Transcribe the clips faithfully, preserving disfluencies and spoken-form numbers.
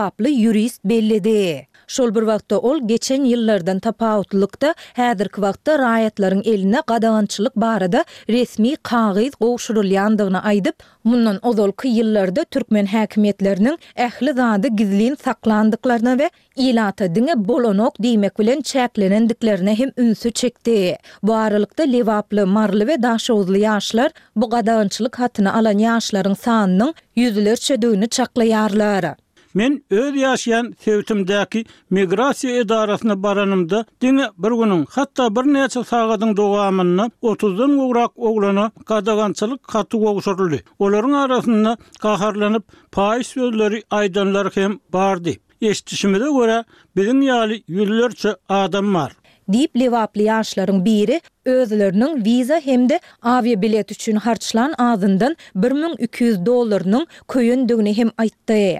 Lebaply ýurist belledi. Şol bir wagtda, ol geçen ýyllardan tapawutlylykda, häzirki wagtda raýatlaryň eline gadagançylyk barada resmi kagyz gowşurylýandygyny aýdyp, mundan ozalky ýyllarda türkmen häkimiýetleriniň ähli zady gizlin saklandyklaryna we ilata diňe bolanok diýmek bilen çäklenendiklerine hem ünsi çekdi. Bu aralykda, lebaply, maryly we daşoguzly ýaşlar bu gadagançylyk hatyny alan ýaşlaryň sanynyň ýüzlerçedigini çaklaýarlar. Men öz ýaşaýan sebitimdäki migrasiýa edarasyna baranymda, diňe bir günüň, hatda birnäçe sagadyň dowamynda otuzdan gowrak oglana gadagançylyk haty gowşuryldy. Olaryň arasynda gaharlanyp, paýyş sözleri aýdanlar hem bardy. Eşidişimize görä, biziň ýaly ýüzlerçe adam bar. Diýip, lebaply ýaşlaryň biri özleriniň wiza hem-de awiabilet üçin harçlan azyndan bir müň iki ýüz dollarynyň köýendigini hem aýtdy.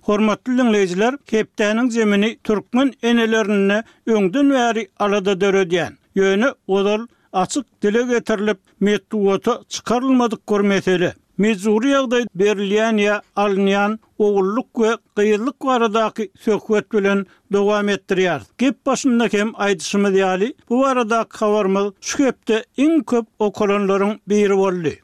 Hormatly diňleýjiler, hepdäniň zemini türkmen enelerinde öňden bäri alada döredýän, ýöne ozal açyk dile getirilip, metbugata çykarylmadyk bir mesele. Mejbury ýagdaý berilýän ýa alynýan ogullyk we gyzlyk baradaky söhbet bilen dowam etdirýäris. Gep başynda hem aýdyşymyz ýaly, bu baradaky habarymyz şu hepde iň köp okalanlaryň biri boldy.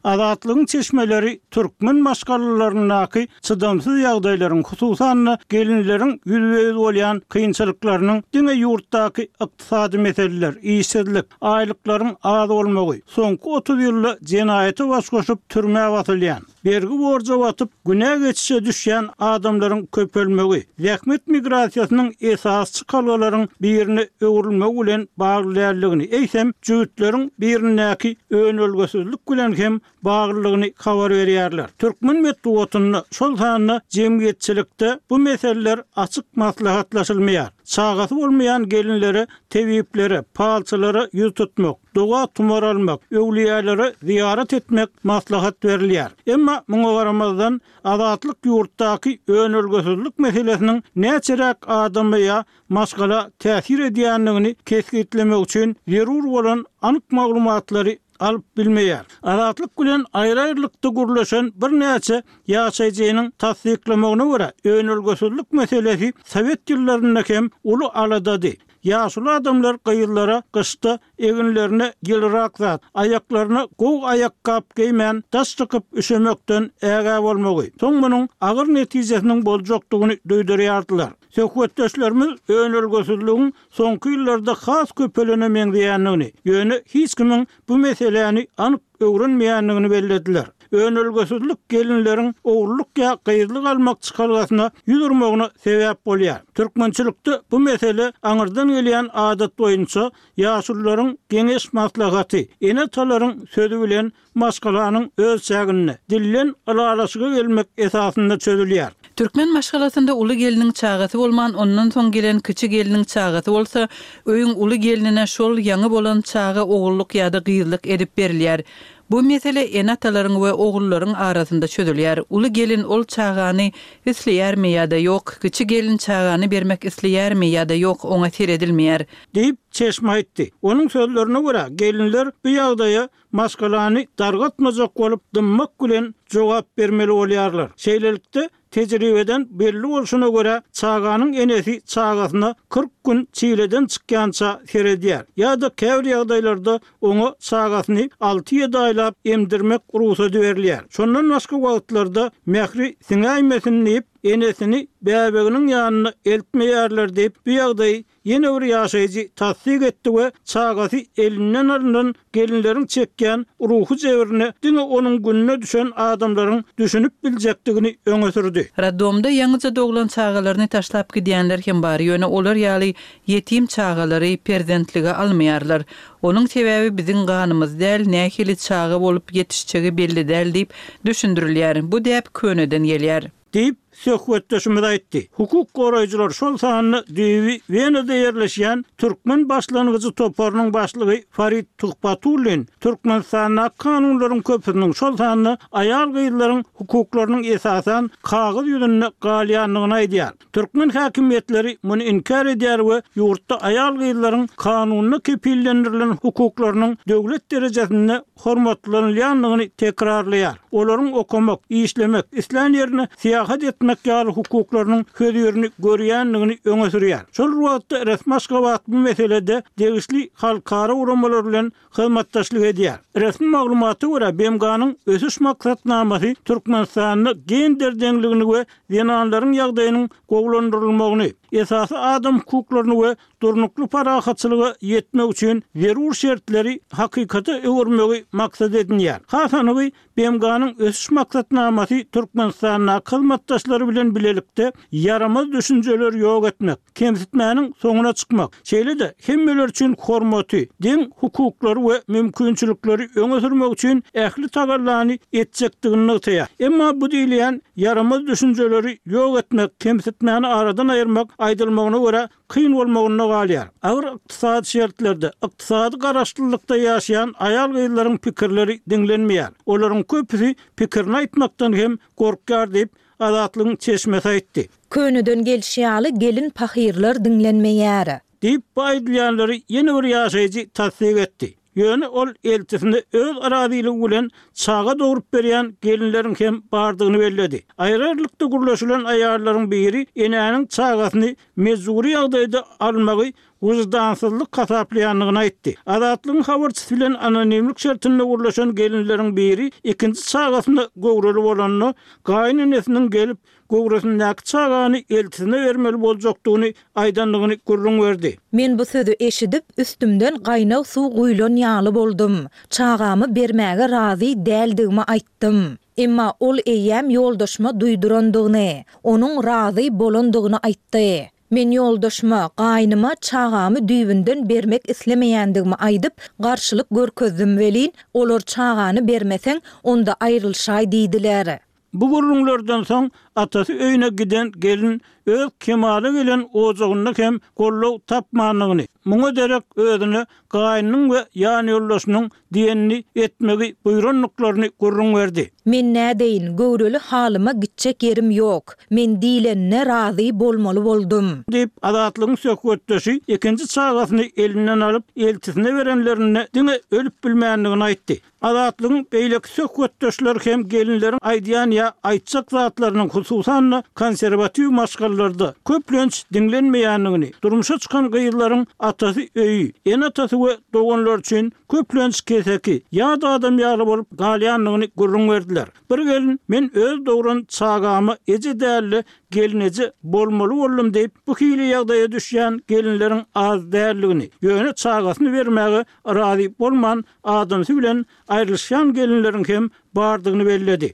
Azatlygyň çeşmeleri türkmen maşgalalaryndaky çydamsyz ýagdaýlaryň, hususan-da, gelinleriň ýüzbe-ýüz bolýan kynçylyklarynyň diňe ýurtdaky ykdysady meseleler, işsizlik, aýlyklaryň az bolmagy, soňky otuz ýylda jenaýata baş goşup türmä basylýan, bergi-borja batyp, günä geçişe düşýän adamlaryň köpelmegi, zähmet migrasiýasynyň esasy çykalgalaryň birine öwrülmegi bilen bagly däldigini, eýsem, jübütleriň birindäki önelgesizlik bilen hem baglydygyny habar berýärler. Türkmen metbugatynda, şol sanda jemgyýetçilikde bu meseleler açyk maslahatlaşylmaýar. Çagasy bolmaýan gelinlere tebiplere, palçylara ýüz tutmak, doga-tumar almak, öwlüýälere zyýarat etmek maslahat berilýär. Emma muňa garamazdan, Azatlyk ýurtdaky önelgesizlik meselesiniň näçeräk adama ýa maşgala täsir edýändigini kesgitlemek üçin zerur bolan anyk maglumatlary alyp bilmeýär. Azatlyk bilen aýry-aýrylykda gürleşen birnäçe ýaşaýjynyň tassyklamagyna görä, önelgesizlik meselesi sowet ýyllarynda hem uly aladady. Ýaşuly adamlar gyzlara gyşda eginlerine ýylyrak zat, aýaklaryna gowy aýakgap geýmän daş çykyp üşemekden ägä bolmagy, soň munuň agyr netijesiniň boljakdygyny duýdurýardylar. Söhbetdeşlerimiz önelgesizligiň soňky ýyllarda has köpelene meňzeýändigini, ýöne hiç kimiň bu meseläni anyk öwrenmeýändigini bellediler. Önelgesizlik gelinleriň ogullyk ýa gyzlyk almak çykalgasyna ýüz urmagyna sebäp bolýar. Türkmençilikde bu mesele aňyrdan gelýän adat boýunça ýaşulularyň geňeş-maslahaty, ene-atalaryň sözi bilen maşgalanyň öz çäginde, dilden ylalaşyga gelmek esasynda çözülýär. Türkmen maşgalasynda uly gelniň çagasy bolman, ondan soň gelen kiçi gelniň çagasy bolsa, öýüň uly gelnine şol ýaňy bolan çaga ogullyk ýa-da gyzlyk edip berilýär. Bu mesele ene-atalaryň we ogullaryň arasynda çözülýär. Uly gelin ol çagany isleýärmi ýa-da ýok, kiçi gelin çagany bermek isleýärmi ýa-da ýok, oňa seredilmeýär. Diýip, çeşme aýtdy. Onuň sözlerine görä, gelinler bu ýagdaýa maşgalany dargatmajak bolup dymmak bilen jogap bermeli bolýarlar. Şeýlelikde, tejribeden belli bolşuna görä, çaganyň enesi çagasyna kyrk gün çileden çykýança seredýär ýa-da käbir ýagdaýlarda oňa çagasyny alty-ýedi aýlap emdirmek rugsady berilýär. Şondan başga wagtlarda mähri siňäýmesin diýip, enesini bäbeginiň ýanyna eltmeýärler diýip, bu ýagdaýy Ýene bir ýaşaýjy tassyk etdi we çagasy elinden alnan gelinleriň çekýän ruhy jebrine diňe onuň gününe düşen adamlaryň düşünip biljekdigini öňe sürdi. Roddomda ýaňyja doglan çagalaryny taşlap gidýänler hem bar, ýöne olar ýaly ýetim çagalary perzentlige almaýarlar. Onuň sebäbi biziň ganymyz däl, nähili çaga bolup ýetişjegi belli däl diýip düşündirilýär. Bu däp köneden gelýär. Diýip, söhbetdeşimiz aýtdy. Hukuk goraýjylar, şol sanda düýbi Wenada ýerleşýän Türkmen başlangyjy toparynyň başlygy Farid Tuhbatullin Türkmenistandaky kanunlaryň köpüsiniň, şol sanda aýal-gyzlaryň hukuklarynyň esasan kagyz ýüzünde galýandygyny aýdýar. Türkmen häkimiýetleri muny inkär edýär we ýurtda aýal-gyzlaryň kanunda kepillendirilen hukuklarynyň döwlet derejesinde hormatlanylýandygyny tekrarlaýar. Olaryň okamak, işlemek, islän ýerine syýahat etmek ýaly hukuklarynyň hözirini görýändigini öňe sürýär. Şol bir wagtda resmi Aşgabat bu meselede degişli halkara guramalar bilen hyzmatdaşlyk edýär. Resmi maglumata görä, B M G-nyň Ösüş Maksatnamasy Türkmenistanda gender deňligini we zenanlaryň ýagdaýynyň gowulandyrylmagyny, esasy adam hukuklaryny we durnukly parahatçylyga ýetmek üçin zerur şertleri hakykata öwürmegi maksat edinýär. Has anygy, B M G-nyň Ösüş Maksatnamasy Türkmenistandaky hyzmatdaşlary bilen bilelikde ýaramaz düşünjeleri ýok etmek, kemsitmäniň soňuna çykmak, şeýle-de hemmeler üçin hormaty, deň hukuklary we mümkinçilikleri öňe sürmek üçin ähli tagallany etjekdigini nygtaýar. Emma bu diýilýän ýaramaz düşünjeleri ýok etmek, kemsitmäni aradan aýyrmak aýdylmagyna görä kyn bolmagynda galýar. Agyr ykdysady şertlerde, ykdysady garaşlylykda ýaşaýan aýal-gyzlaryň pikirleri diňlenmeýär. Olaryň köpüsi pikirini aýtmakdan hem gorkýar diýip, Azatlygyň çeşmesi aýtdy. Köneden gelşi ýaly gelin pahyrlar diňlenmeýär. Diýip, bu aýdylýanlary ýene bir ýaşaýjy tassyk etdi. Ýöne ol eltisine öz razylygy bilen çaga dogrup berýän gelinleriň hem bardygyny belledi. Aýry-aýrylykda gürleşilen aýallaryň biri enäniň çagasyny mejbury ýagdaýda almagy wyždansyzlyk hasaplaýandygyny aýtdy. Azatlygyň habarçysy bilen anonimlik şertinde gürleşen gelinleriň biri ikinji çagasyna göwreli bolanda, gaýynenesiniň gelip, göwresindäki çagany eltisine bermeli boljakdygyny aýdandygyny gürrüň berdi. Men bu sözi eşidip, üstümden gaýnag suw guýlan ýaly boldum. Çagamy bermäge razy däldigimi aýtdym. Emma ol eýýäm ýoldaşyma duýdurandygyny, onuň razy bolandygyny aýtdy. Men ýoldaşyma, gaýnyma çagamy düýbünden bermek islemeýändigimi aýdyp, garşylyk görkezdim welin, olar çagany bermeseň, onda aýrylyşaý diýdiler. Bu gürrüňlerden soň atasy öýüne giden gelin öz kemala gelen ojagynda hem goldaw tapmandygyny, muňa derek özüne gaýnynyň we ýanýoldaşynyň diýenini etmegi buýrandyklaryny gürrüň berdi. Men nädeýin, göwreli halyma gitjek ýerim ýok. Men diýlenine razy bolmaly boldum. Diýip, Azatlygyň söhbetdeşi ikinji çagasyny elinden alyp, eltisine berenlerinde diňe ölüp bilmändigini aýtdy. Azatlygyň beýleki söhbetdeşleri hem gelinleriň aýdýan ýa aýtjak zatlarynyň hususan-da konserwatiw maşgalalarda köplenç diňlenmeýändigini, durmuşa çykan gyzlaryň atasy öýi, ene-atasy we doganlary üçin köplenç keseki, ýat adam ýaly bolup galýandygyny gürrüň berdiler. Bir gelin men öz dogran çagama eje däl-de gelneje bolmaly boldum diýip, bu hili ýagdaýa düşýän gelinleriň az däldigini, ýöne çagasyny bermäge razy bolman adamsy bilen aýrylyşýan gelinleriň hem bardygyny belledi.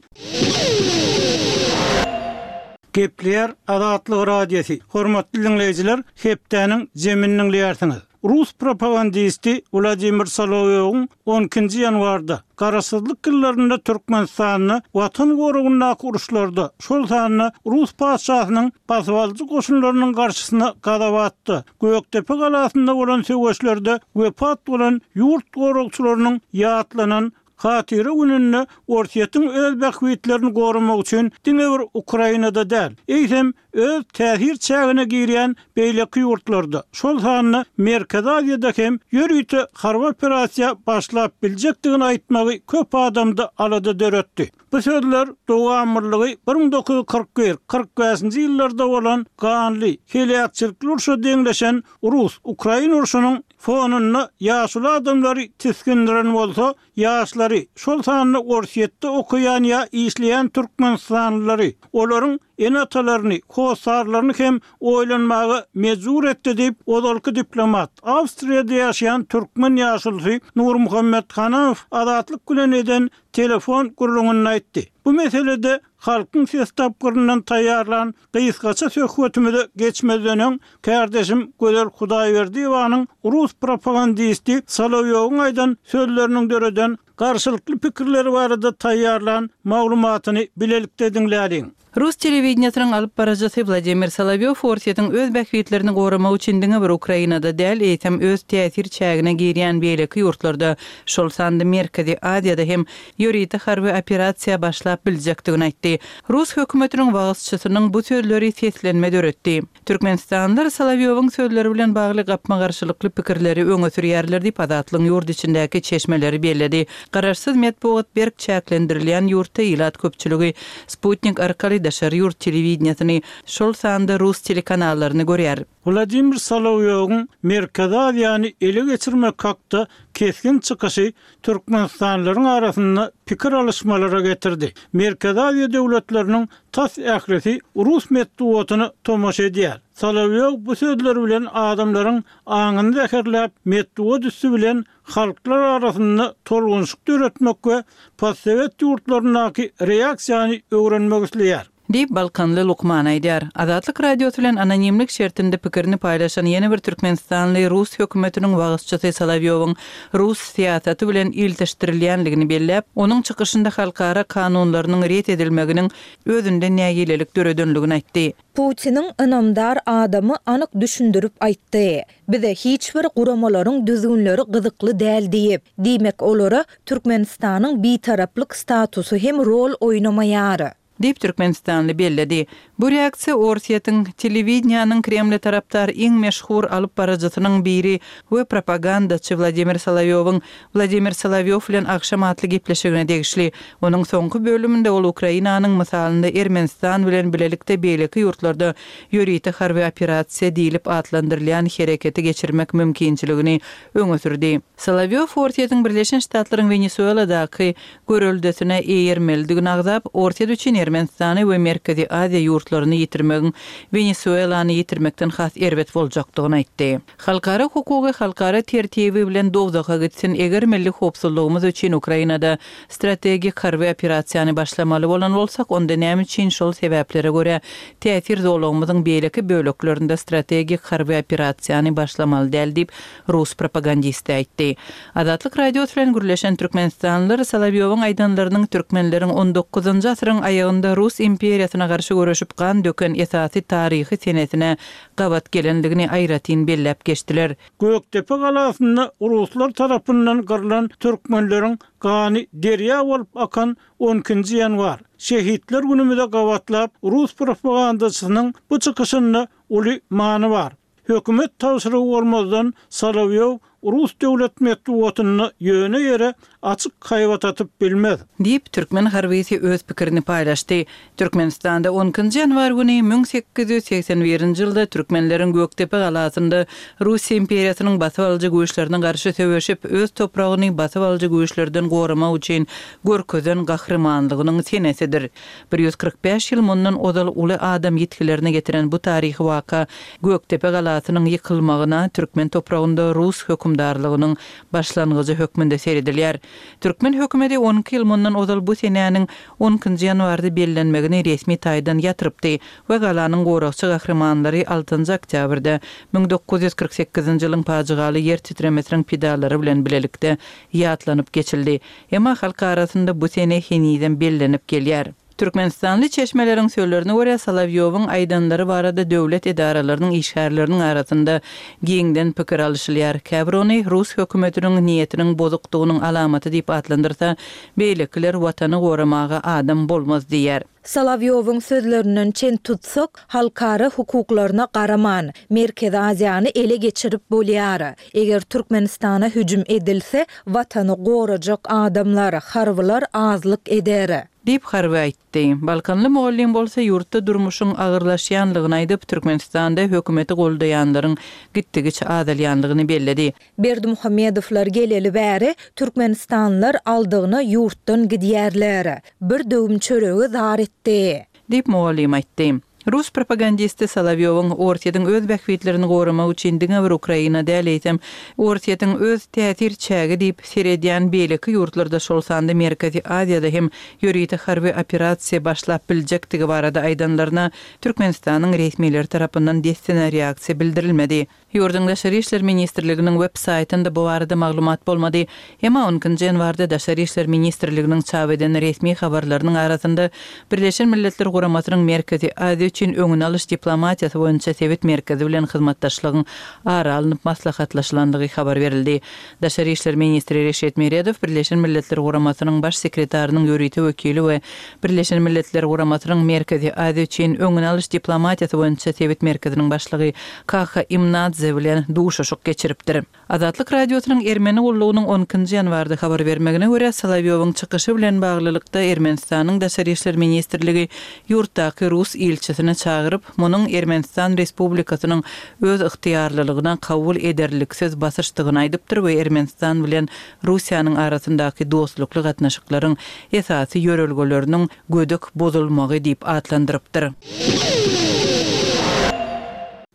Gepleýär Azatlyk Radiosy. Hormatly diňleýjiler, hepdäniň jemini diňleýärsiňiz. Rus propagandisti Wladimir Solowýowyň on ikinji ýanwarda Garaşsyzlyk ýyllarynda Türkmenistanda Watan goragyndaky uruşlarda, şol sanda rus patyşasynyň basybalyjy goşunlarynyň garşysyna Gazawatda, Gökdepe galasynda bolan söweşlerde wepat bolan ýurt goragçylarynyň ýatlanan Hatyra gününde Orsýetiň öz bähbitlerini goramak üçin diňe bir Ukrainada däl, eýsem öz täsir çägine girýän beýleki ýurtlarda, şol sanda Merkezi Aziýada hem ýörite harby operasiýa başlap biljekdigini aýtmagy köp adamda alada döretdi. Bu sözler dowamlylygy bir müň dokuz ýüz kyrk bir, kyrk bäşinji ýyllarda bolan ganly, heläkçilikli urşa deňleşen rus-ukrain urşunyň fonunda ýaşuly adamlary tisgindiren bolsa, ýaşlary, şol sanda Orsýetde okaýan ýa işleýän türkmenistanlylary, olaryň ene-atalaryny, hossarlaryny hem oýlanmaga mejbur etdi diýip, ozalky diplomat, Awstriýada ýaşaýan türkmen ýaşulusy Nurmuhammet Hanamow Azatlyk bilen eden telefon gürrüňinde aýtdy. Bu meselede Halkyň ses tapgyryndan taýýarlan gysgaça söhbetimize geçmezden öň, kärdeşim Gözel Hudaýberdiýewanyň rus propagandisti Solowýowyň aýdan sözleriniň döreden garşylykly pikirleri barada taýýarlan maglumatyny bilelikde diňläliň. Rus telewideniýesiniň alyp baryjysy Wladimir Solowýow Orsýetiň öz bähbitlerini goramak üçin diňe bir Ukrainada däl, eýsem öz täsir çägine girýän beýleki ýurtlarda, şol sanda Merkezi Aziýada hem ýörite harby operasiýa başlap biljekdigini aýtdy. Rus hökümetiniň wagyzçysynyň bu sözleri seslenme döretdi. Türkmenistanlylar Solowýowyň sözleri bilen bagly gapma-garşylykly pikirleri öňe sürýärler diýip, Azatlygyň ýurt içindäki çeşmeleri belledi. Garaşsyz metbugat berk çäklendirilýän ýurtda ilat köpçüligi sputnik arkaly daşary ýurt telewideniýesini, şol sanda rus telekanallaryny görýär. Wladimir Solowýowyň Merkezi Aziýany ele geçirmek hakda kesgin çykyşy türkmenistanlylaryň arasynda pikir alyşmalara getirdi. Merkezi Aziýa döwletleriniň tas ählisi rus metbugatyna tomaşa edýär. Solowýow bu sözleri bilen adamlaryň aňyny zäherläp, metbugat üsti bilen halklar arasynda tolgunyşyk döretmek we postsowet ýurtlaryndaky reaksiýany öwrenmek isleýär. Diýip, balkanly lukman aýdýar. Azatlyk Radiosy bilen anonimlik şertinde pikirini paýlaşan ýene bir türkmenistanly rus hökümetiniň wagyzçysy Solowýowyň rus syýasaty bilen ilteşdirilýänligini belläp, onuň çykyşynda halkara kanunlarynyň ret edilmeginiň özünde nägilelik döredenligini aýtdy. Putiniň ynamdar adamy anyk düşündirip aýtdy. Bize hiç bir guramalaryň düzgünleri gyzykly däl diýip, diýmek olara Türkmenistanyň bitaraplyk statusy hem rol oýnamaýar. Diýip, türkmenistanly belledi. Bu reaksiýa Orsýetiň telewideniýanyň Kremle tarapdar iň meşhur alyp baryjysynyň biri we propagandaçy Wladimir Solowýowyň Wladimir Solowýow bilen agşam atly gepleşigine degişli. Onuň soňky bölüminde ol Ukrainanyň mysalynda Ermenistan bilen bilelikde beýleki ýurtlarda ýörite harby operasiýa diýlip atlandyrylýan hereketi geçirmek mümkinçiligini öňe sürdi. Solowýow Orsýetiň Birleşen Ştatlaryň Wenesueladaky göreldesine eýermelidigini agzap, Orsýet üçin Ermenistany we Merkezi Aziýa ýurtlaryny ýitirmegiň Wenesuelany ýitirmekden has erbet boljakdygyny aýtdy. Halkara hukugy halkara tertibi bilen dowzaha gitsin, eger milli howpsuzlygymyz üçin Ukrainada strategik harby operasiýany başlamaly bolan bolsak, onda näme üçin şol sebäplere görä täsir zolagymyzyň beýleki böleklerinde strategik harby operasiýany başlamaly däl diýip, rus propagandisti aýtdy. Azatlyk Radiosy bilen gürleşen türkmenistanlylar Solowýowyň aýdanlarynyň türkmenleriň on dokuzynjy asyryň aýagynda Rus imperiýasyna garşy göreşip gan döken esasy taryhy senesine gabat gelendigini aýratyn belläp geçdiler. Gökdepe galasynda ruslar tarapyndan gyrlan türkmenleriň gany derýa bolup akan on ikinji ýanwar. Şehitler günümize gabatlap rus propagandaçysynyň bu çykyşynda uly many bar. Hökümet tabşyrygy bolmazdan Solowýow rus döwlet metbugatynda ýöne ýere açyk haýbat atyp bilmez. Diýip, türkmen harbysy öz pikirini paýlaşdy. Türkmenistanda on ikinji ýanwar güni müň sekiz ýüz segsen birinji ýylda türkmenleriň Gökdepe galasynda Russiýa imperiýasynyň basyp alyjy güýçlerine garşy söweşip, öz topragyny basyp alyjy güýçlerden goramak üçin görkezen gahrymanlygynyň senesidir. Bir ýüz kyrk bäş ýyl mundan ozal uly adam ýitgilerine getiren bu taryhy waka Gökdepe galasynyň ýykylmagyna türkmen topragynda rus hökümdarlygynyň başlangyjy hökmünde seredilýär. Türkmen hökümeti on iki ýyl mundan ozal bu senäniň on ikinji ýanwarda bellenmegini resmi taýdan ýatyrypdy we galanyň goragçy gahrymanlary altynjy oktýabrda müň dokuz ýüz kyrk sekizinji ýylyň pajygaly ýer titremesiniň pidalary bilen bilelikde ýatlanyp geçildi. Emma halk arasynda bu sene henizem bellenip gelýär. Türkmenistanly çeşmeleriň sözlerine görä Solowýowyň aýdanlary barada döwlet edaralarynyň işgärleriniň arasynda giňden pikir alyşylýar. Käbir ony rus hökümetiniň niýetiniň bozukdygynyň alamaty diýip atlandyrsa, beýlekiler watany goramaga adam bolmaz diýär. Solowýowyň sözlerinden çen tutsak, halkara hukuklaryna garaman, Merkezi Aziýany ele geçirip bolýar. Eger Türkmenistana hüjüm edilse, watany gorajak adamlar, harbylar azlyk eder. Diýip harby aýtdy. Balkanly mugallym bolsa ýurtda durmuşyň agyrlaşýanlygyny aýdyp, Türkmenistanda hökümeti goldaýanlaryň gitdigiçe azalýanlygyny belledi. Berdimuhamedowlar geleli bäri Türkmenistanlylar aldygyna ýurtdan gidýärler. Bir döwüm çöregi zar etdi. Diýip mugallym aýtdy. Rus propagandisti Solowýowyň Orsýetiň öz bähbitlerini goramak üçin diňe bir Ukraina däl eýsem, Orsýetiň öz täsir çägi diýip seredýän beýleki ýurtlarda, şol sanda Merkezi Aziýada hem ýörite harby operasiýa başlap biljekdigi barada aýdanlaryna Türkmenistanyň resmileri tarapyndan dessine reaksiýa bildirilmedi. Ýurduň Daşary işler ministrliginiň web saýtynda bu barada maglumat bolmady. Emma on ikinji ýanwarda Daşary işler ministrliginiň çap eden resmi habarlarynyň arasynda Birleşen Milletler Guramasynyň Merkezi Aziýa üçin öňüni alyş diplomatiýasy boýunça sebit merkezi bilen hyzmatdaşlygyň ara alnyp maslahatlaşylandygy habar berildi. Daşary işler ministri Reşit Meredow Birleşen Milletler Guramasynyň Baş sekretarynyň ýörite wekili we Birleşen Milletler Guramasynyň Merkezi Aziýa üçin öňüni alyş diplomatiýasy boýunça sebit merkeziniň başlygy Kaha Imnadze bilen duşuşyk geçiripdir. Azatlyk Radiosynyň Ermeni gullugynyň on ikinji ýanwarda habar bermegine görä, Solowýowyň çykyşy bilen baglylykda Ermenistanyň Daşary işler ministrligi ýurtdaky rus ilçisini çagyryp, munuň Ermenistan Respublikasynyň öz ygtyýarlylygyna kabul ederliksiz basyşdygyny aýdypdyr we Ermenistan bilen Russiýanyň arasyndaky dostlukly gatnaşyklaryň esasy ýörelgeleriniň gödek bozulmagy diýip atlandyrypdyr.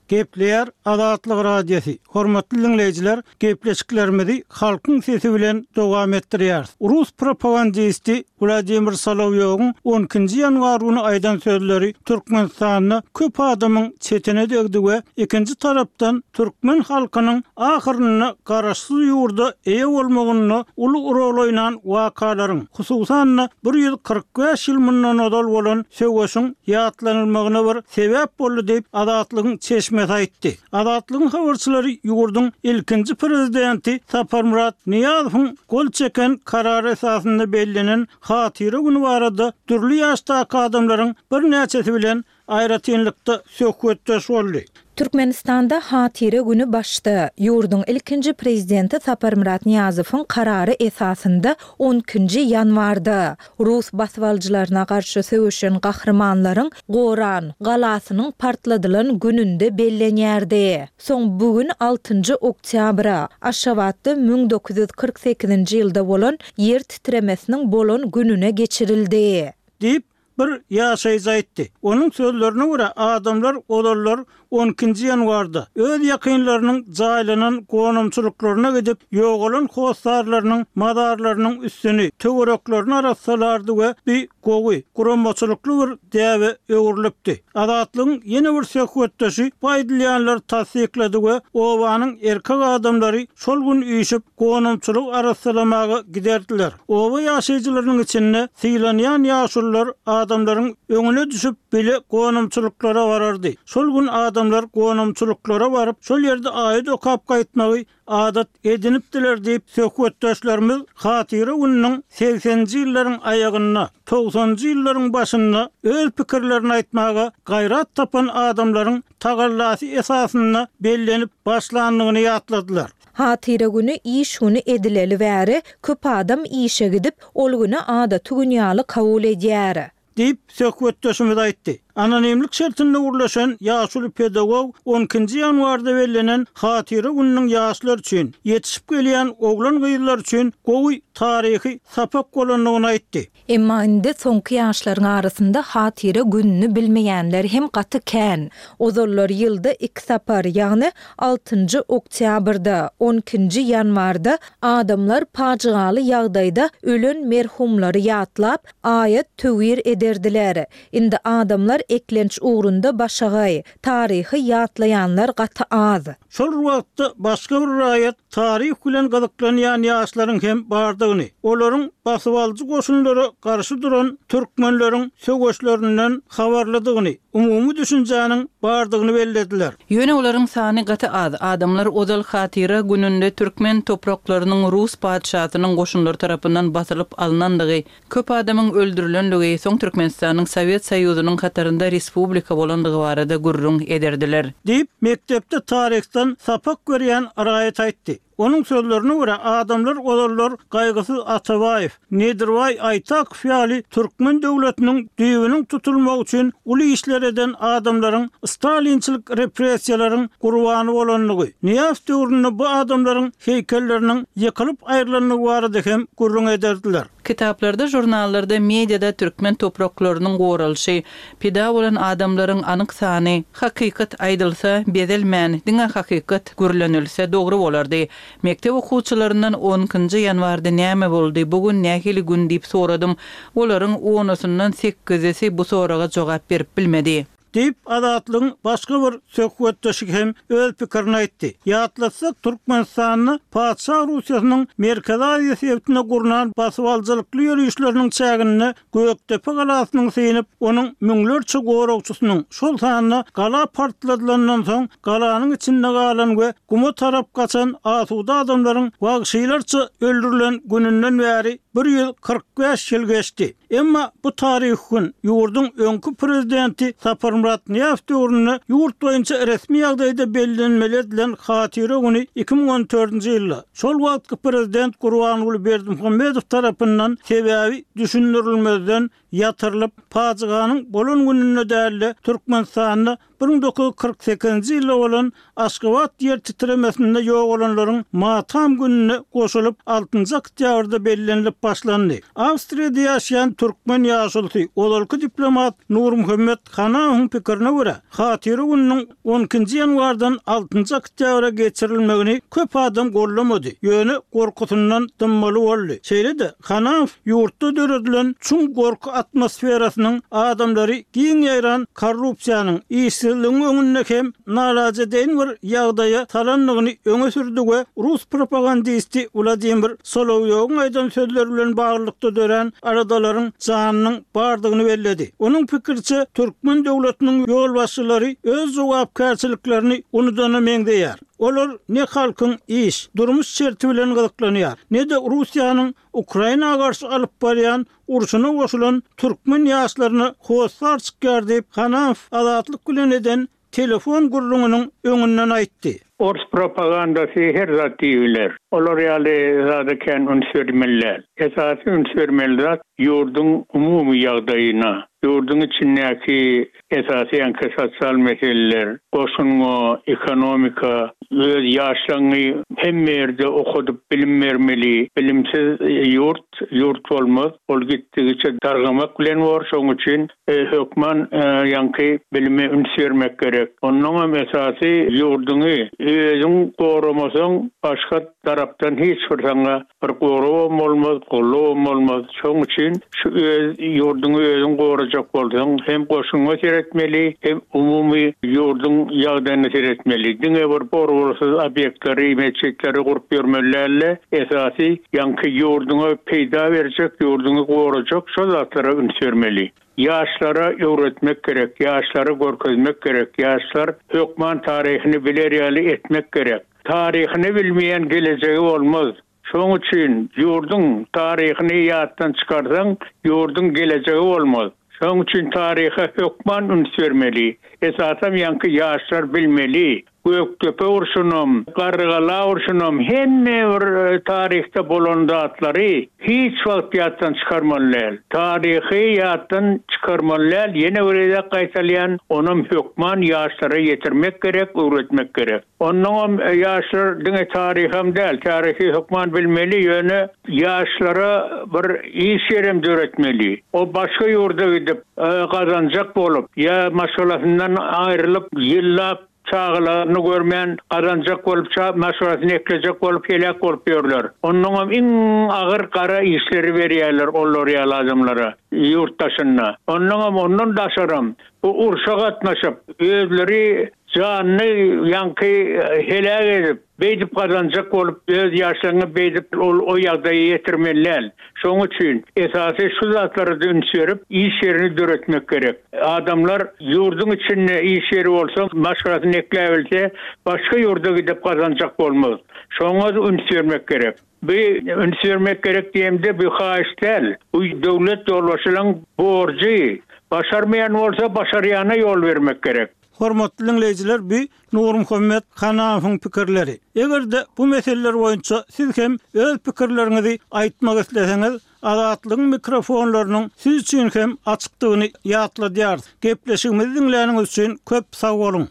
Gepleýär Azatlyk Radiosy. Hormatly diňleýjiler, gepleşiklerimizi halkyň sesi bilen dowam etdirýäris. Rus propagandisti Wladimir Solowýowyň on ikinji ýanwar güni aýdan sözleri Türkmenistanda köp adamyň çetine degdi we ikinji tarapdan türkmen halkynyň ahyrynda garaşsyz ýurda eýe bolmagynda uly rol oýnan wakalaryň, hususan-da bir ýüz kyrk bäş ýyl mundan ozal bolan söweşiň ýatlanylmagyna bir sebäp boldy diýip, Azatlygyň çeşmesi aýtdy. Azatlygyň habarçylary ýurduň ilkinji prezidenti Saparmyrat Nyýazowyň gol çeken karary esasynda bellenen hatyra güni barada dürli ýaşdaky adamlaryň birnäçesi bilen aýratynlykda söhbetdeş boldy. Türkmenistanda hatyra güni başda ýurduň ilkinji prezidenti Saparmyrat Nyýazowyň karary esasynda on ikinji ýanwarda rus basybalyjylaryna garşy söweşen gahrymanlaryň Goran galasynyň partladylan gününde bellenýärdi. Soň bu gün altynjy oktýabra Aşgabatda müň dokuz ýüz kyrk sekizinji ýylda bolan ýer titremesiniň bolan gününe geçirildi. Diýip, bir ýaşaýjy aýtdy. Onuň sözlerine görä, adamlar ozallar on ikinji ýanwarda öz ýakynlarynyň jaýlanan gonamçylyklaryna gidip, ýogalan hossarlarynyň mazarlarynyň üstüni, töwereklerini arassalardy we bir gowy, guramaçylykly bir däbe öwrülipdi. Azatlygyň ýene bir söhbetdeşi bu aýdylýanlary tassyklady we obanyň erkek adamlary şol gün üýşüp gonamçylyk arassalamaga giderdiler. Oba ýaşaýjylarynyň içinde sylanýan ýaşulular adamlaryň öňüne düşüp bile gonamçylyklara barardy. Şol gün adamlar gonamçylyklara baryp, şol ýerde aýat okap gaýtmagy adat edinipdiler diýip söhbetdeşlerimiz hatyra gününiň segseninji ýyllaryň aýagynda, togsanjy ýyllaryň başynda öz pikirlerini aýtmaga gaýrat tapan adamlaryň tagallasy esasynda bellenip başlandygyny ýatladylar. Hatyra günü iş günü edileli bäri köp adam işe gidip, ol günü adaty gün ýaly kabul edýär. Diýip söhbetdeşimiz aýtdy. Anonimlik şertinde gurlaşan ýaşuly pedagog on ikinji ýanwarda bellenen hatyra gününiň ýaşlar üçin, ýetişip gelýän oglan gyzlar üçin gowy taryhy sapak bolandygyny aýtdy. Emma indi soňky ýaşlaryň arasynda hatyra gününi bilmeýänler hem gaty kän. Ozallar ýylda iki sapar, ýagny altynjy oktýabrda, on ikinji ýanwarda adamlar pajygaly ýagdaýda ölen merhumlary ýatlap, aýat töwir ederdiler. Indi adamlar eklenç ugrunda başagaý, taryhy ýatlaýanlar gaty az. Şol wagtda başga bir raýat taryh bilen gyzyklanýan ýaşlaryň hem bardygyny, olaryň basybalyjy goşunlara garşy duran türkmenleriň söweşlerinden habarlydygyny, umumy düşünjäniň bardygyny bellediler. Ýöne olaryň sany gaty az. Adamlar ozal hatyra gününde türkmen topraklarynyň rus patyşasynyň goşunlary tarapyndan basylyp alynandygy, köp adamyň öldürilenligi, soň Türkmenistanyň Sowet Soýuzynyň hatarynda respublika bolandygy barada gürrüň ederdiler. Diýip, mekdepde taryhdan sapak görýän raýat aýtdy. Onuň sözlerine görä, adamlar ozallar Gaýgysyz Atabaýew, Nedirbaý Aýtakow ýaly türkmen döwletiniň düýbüniň tutulmagy üçin uly işler eden adamlaryň stalinçilik repressiýalaryň gurbany bolandygy, Nyýazow döwründe bu adamlaryň heýkelleriniň ýykylyp aýrylandygy barada hem gürrüň ederdiler. Kitaplarda, žurnallarda, mediada türkmen topraklarynyň goralyşy, pida bolan adamlaryň anyk sany, hakykat aýdylsa, bezelmän, diňe hakykat gürlenilse dogry bolardy. Mekdep okuwçylaryndan on ikinji ýanwarda näme boldy, bu gün nähili gün diýip soradym. Olaryň onusyndan sekizisi bu soraga jogap berip bilmedi. Diýip, Azatlygyň başga bir söhbetdeşi hem öz pikirini aýtdy. Ýatlatsak, Türkmenistanda Patyşa Russiýasynyň Merkezi Aziýa sebitine gurnan basybalyjylykly ýörişleriniň çäginde Gökdepe galasynyň synyp, onuň müňlerçe goragçysynyň, şol sanda gala partladylandan soň galanyň içinde galan we guma tarap gaçan asuda adamlaryň wagşylarça öldürilen gününden bäri bir ýüz kyrk bäş ýyl geçdi. Emma bu taryhy gün ýurduň öňki prezidenti Saparmyrat Nyýazow döwründe ýurt boýunça resmi ýagdaýda bellenmeli edilen hatyra güni iki müň on dördünji ýylda şol wagtky prezident Gurbanguly Berdimuhamedow tarapyndan sebäbi düşündirilmezden ýatyrylyp, pajyganyň bolan gününde dälde Türkmenistanda bir müň dokuz ýüz kyrk sekizinji ýylda bolan Aşgabat ýer titremesinde ýogalanlaryň matam gününe goşulyp altynjy oktýabrda bellenilip başlandy. Awstriýada ýaşaýan türkmen ýaşulusy, ozalky diplomat Nurmuhammet Hanawyň pikirine görä, hatyra gününiň on ikinji ýanwardan altynjy oktýabra geçirilmegini köp adam gollamady, ýöne gorkusyndan dymmaly boldy. Şeýle-de Hanaw ýurtda döredilen çuň gorky atmosferasynyň adamlary giň ýaýran korrupsiýanyň, işsizligiň öňünde hem nalajedeýin bir ýagdaýa salandygyny öňe sürdi we rus propagandisti Wladimir Solowýowyň aýdan sözleri bilen baglylykda dörän aladalaryň janynyň bardygyny belledi. Onuň pikiriçe, türkmen döwletiniň ýolbaşçylary öz jogapkärçiliklerini unudana meňzeýär. Olar ne halkyň iş, durmuş şerti bilen gyzyklanýar, ne-de Russiýanyň Ukraina garşy alyp barýan urşuna goşulan türkmen ýaşlaryna hossar çykýar diýip, Hanaw Azatlyk bilen eden telefon gürrüňiniň öňünden aýtdy. Ors propagandasy her zat diýibiler. Olar ýaly zada kän üns bermeli däl. Esasy üns bermeli zat ýurduň umumy ýagdaýyna, ýurduň içindäki esasy ýaňky sosial meseleler, goşunga, ekonomika, öz ýaşlaryňy hemme ýerde okadyp bilim bermeli. Bilimsiz ýurt, ýurt bolmaz. Ol gitdigiçe dargamak bilen bor. Şonuň üçin, e, hökman, e, ýaňky bilime üns bermek gerek. Ondan hem esasy ýurduňy özüň goramasaň başga tarapdan hiç bir saňa bir goragam bolmaz, gollagam bolmaz. Şonuň üçin şu öz ýurduňy özüň gorajak bolsaň hem goşuňa seretmeli, hem umumy ýurduň ýagdaýyna seretmeli. Diňe bir goragsyz obýektleri, metjitleri gurup ýörmeli däl-de, esasy ýaňky ýurduňa peýda berjek, ýurduňy gorajak şo zatlara üns bermeli. Ýaşlara öwretmek gerek, ýaşlara görkezmek gerek, ýaşlar hökman taryhyny biler ýaly etmek gerek. Taryhyny bilmeýän gelejegi bolmaz. Şonuň üçin ýurduň taryhyny ýatdan çykarsaň, ýurduň gelejegi bolmaz. Şonuň üçin taryha hökman üns bermeli. Esasam ýaňky ýaşlar bilmeli. Gökdepe urşunam, Garrygala urşunam, hemme bir, e, taryhda bolan zatlary hiç wagt ýatdan çykarmaly däl. Taryhy ýatdan çykarmaly däl, ýene bir gezek gaýtalýan, onam hökman ýaşlara ýetirmek gerek, öwretmek gerek. Onnoňam, e, ýaşlar diňe taryham däl, taryhy hökman bilmeli, ýöne ýaşlara bir iş ýerem döretmeli. O başga ýurda gidip, e, gazanjak bolup, ýa maşgalasyndan aýrylyp, ýyllap çagalaryny görmän gazanjak bolup, ça-, maşgalasyny eklejek bolup, helak bolup ýörler. Onnoňam iň agyr gara işleri berýärler olar ýaly adamlara ýurt daşynda. Onnoňam ondan daşaram bu urşa gatnaşyp, özleri janyny ýaňky, e, helak edip, beýdip gazanjak bolup, öz ýaşlaryny beýdip ol o ýagdaýa ýetirmeli däl. Şonuň üçin esasy şu zatlara da üns berip, iş ýerini döretmek gerek. Adamlar ýurduň içinde iş ýeri bolsa, maşgalasyny ekläbilse, başga ýurda gidip gazanjak bolmaz. Şoňa da üns bermek gerek. Bu üns bermek gerek diýemde bu haýyş däl. Bu döwlet ýolbaşçylaryň borjy. Başarmaýan bolsa başarýana ýol bermek gerek. Hormatly dinleýjiler, bu Nurmuhammet Hanawyň pikirleri. Eger-de bu meseleler boýunça siz hem öz pikirleriňizi aýtmak isleseňiz, Azatlygyň mikrofonlarynyň siz üçin hem açykdygyny ýatladýarys. Gepleşigimizi diňläniňiz üçin köp sag boluň.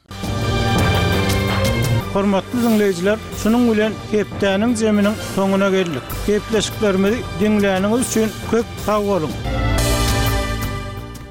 Hormatly diňleýjiler, şunuň bilen hepdäniň zeminiň soňuna geldik. Gepleşiklerimizi diňläniňiz üçin köp sag boluň.